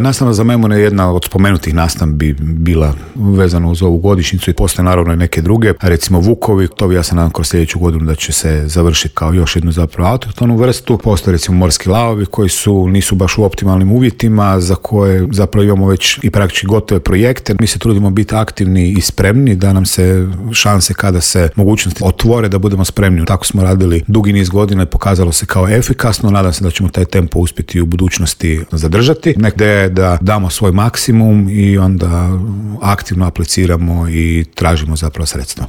Nastava za memone je jedna od spomenutih nastavbi bila vezana uz ovu godišnjicu i postoje naravno i neke druge, recimo Vukovi, to bi ja se nadam kroz sljedeću godinu da će se završiti kao još jednu zapravo autohtonu vrstu. Postoje recimo morski lavovi koji nisu baš u optimalnim uvjetima, za koje zapravo imamo već i praktički gotove projekte. Mi se trudimo biti aktivni i spremni da nam se šanse kada se mogućnosti otvore da budemo spremni. Tako smo radili dugi niz godina i pokazalo se kao efikasno. Nadam se da ćemo taj tempo uspjeti u budućnosti zadržati. Ideja je da damo svoj maksimum i onda aktivno apliciramo i tražimo zapravo sredstva.